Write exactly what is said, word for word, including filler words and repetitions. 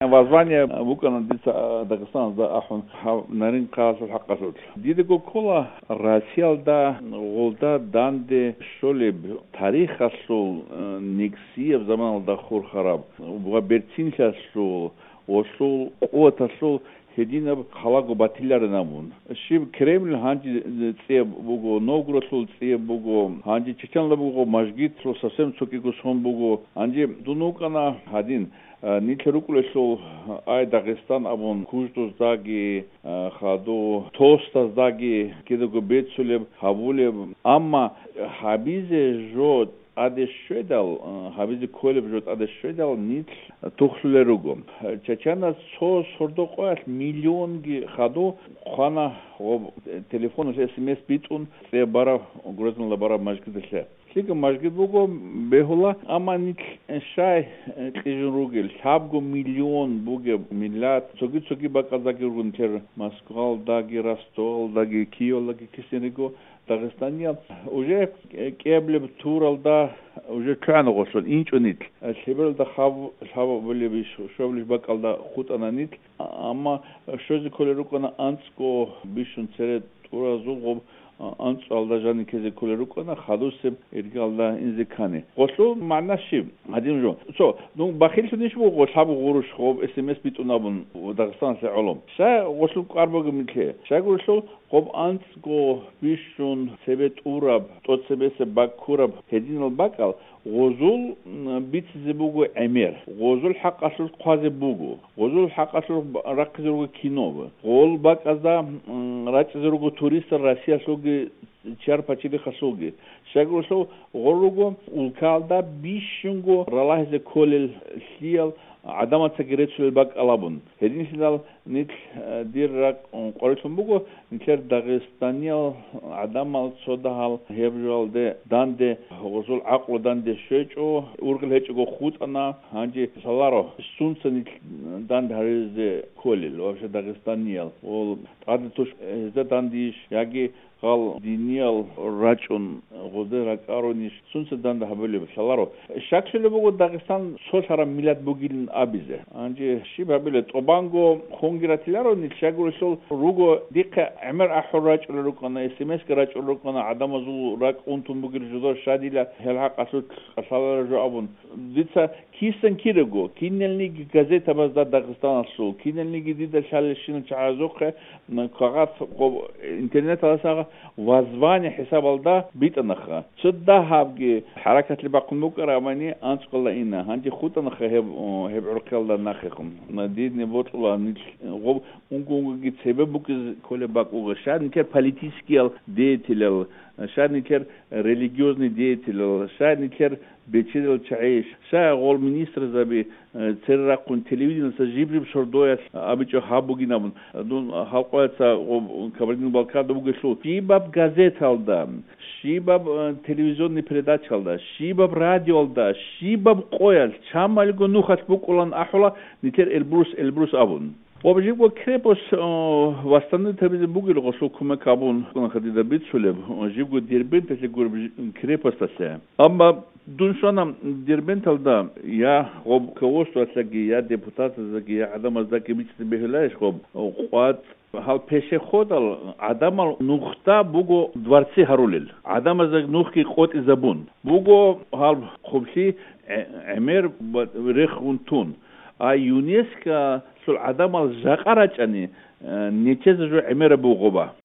Воззвание букӀана дица Дагъистаналда ахӀун гьав Нарин-Къаялъул хӀакъалъулъ. Дидаго ккола Россиялда гъолда данде щолеб тарихалъул, э, нигсияб заманалда хурхараб ва берцинлъиялъул, гъолъул къуваталъул гьединаб халаго батиларин абун. Щиб Кремль гьанже цӀияб буго, Новгородлъул цӀияб буго, гьанже Чеченлъа буго, мажгитлъул совсем цогиго сон буго. Гьанже дун вукӀана гьадин, а, нилъ рукӀулелъул, ай, Дагъистан абун, Куждуздаги, а, хаду, Тостаздаги кидаго бецулеб, гьабулеб. Амма гьабизе жо тӀаде щведал, а, гьабизе кколеб жо тӀаде щведал, нилъ тухлъулел руго. Чачанас цо сордо къоялъ миллионги хаду хъвана ва телефоналъ эс эм эс битӀун цӀе бараб, Грозныла бараб мажгидалъе. ЛъикӀаб мажгид буго, бегьула, амма нилъ щай кьижун ругел, лъабго миллион бугеб миллат, цоги-цоги бакӀаздаги ругун тер Москвалдаги, Ростовалдаги, Киевалдаги кисин руго, Дагъистаниял уже кӀиаблеб туралда уже лъугӀана гъолъул, инчӀо нилъ. Лъебералда хаб-, лъабабулеб иш, щобилеб бакӀалда хутӀана нилъ, амма щвезе кколел рукӀана анцӀго бищун цере тӀуразул гъоб, а, анцӀалда жаниб ккезе кколел рукӀана, хадусеб иргалда инзе ккани. Гъолъул магӀна щиб? Гьадин жо. Цо, ну, бахиллъунищ буго лъабго гъурущ гъоб эс эм эс битӀун абун Дагъистаналъе гӀоло? Щай гъолъул кӀвар бугеб нилъее? Щайгурелъул, гъоб анцӀго бищун цебе тӀураб, тӀоцебесеб баккураб гьединал бакӀал гъозул, м, бицизе буго гӀемер, гъозул хӀакъалъулъ хъвазе буго, гъозул хӀакъалъулъ б-, рахъизе руго кино, гъол бакӀазда, м, рачӀизе руго туристал Россиялъулги чар пачалихъалъулги. Щайгурелъул гъол руго улкалда бищунго ралагьизе кколел лъиял гӀадамацаги реццулел бакӀал абун. Гьединлъидал нилъ, э, дир ракӀ, м, къварилъун буго, нилъер Дагъистаниял гӀадамал цо дагьал гьеб жоялде данде гъозул гӀакълу данде щвечӀо, ургъел гьечӀого хутӀана, гьанже лъаларо, сунца нилъ данде гьаризе кколел, вообще дагъистаниял, ол тӀаде туш гьезда дандейищ, яги гъал диниял рачӀун гъозде ракӀаронищ, сунца данде гьабулеб лъаларо. Щаклъулеб буго Дагъистан цолъараб миллат бугилин абизе. Гьанже щиб гьабилеб, тӀубанго хунги ратиларо нилъ, щайгурелъул руго дихъе гӀемер ахӀун рачӀулел рукӀана, эс эм эс-ги рачӀулел рукӀана, гӀадамазул ракӀ унтун бугел жодор щадила гьел хӀакъалъулъ кӀалъалареб жо абун. Дица кисан кирего, киналниги газетабазда Дагъистаналъул, киналниги дида лъалелщинал чагӀазухъе, м, кагъат гъоб-, интернеталдаса воззвание хӀисабалда битӀанаха. Цо дагьабги хӀаракатлъи бахъун букӀарабани анцӀкъала ина. Гьанже хутӀанаха гьеб, о, гьеб гӀурхъиялда нахъехун. Дидни бокьула нилъ гъоб унго-унгоги цебе букӀизе кколеб бакӀ буго. Щай нилъер политическиял деятелал, щай нилъер религиозный деятелал, щай нилъер бечедал чагӀи, щай гъол министрзаби, э, цере рахъун телевидениялъа жиб-жиб сордоялъ абичӀо гьаб бугин абун. Дун халкъояца гъоб Кабардино-Балкарда бугелъул, щибаб газеталда, щибаб, э, телевизионный передачалда, щибаб радиоялда, щибаб къоялъ, чамалго нухалъ букӀулан ахӀула нилъер Эльбрус, Эльбрус абун. Ва жибго крепость, о, восстановить гьабизе бугел гъолъул кумек гьабун, кӀуна хадида бицулеб, о, жибго Дербенталъе гуреб жи-, крепосталъе. Амма дун щвана Дербенталда я гъоб руководствоялъаги, я депутатаздаги, я гӀадамаздаги бицӀизе бегьуларищ гъоб, о, къватӀ гьал пешеходал гӀадамал нухда буго дворцы гьарулел. ГӀадамазда нухги къотӀизабун. Буго гьал хъублъи гӀе-, гӀемер ва рехун тун. А ЮНЕСКО-лъул гӀадамал жакъа рачӀани, э, нечезе жо гӀемераб бугоба.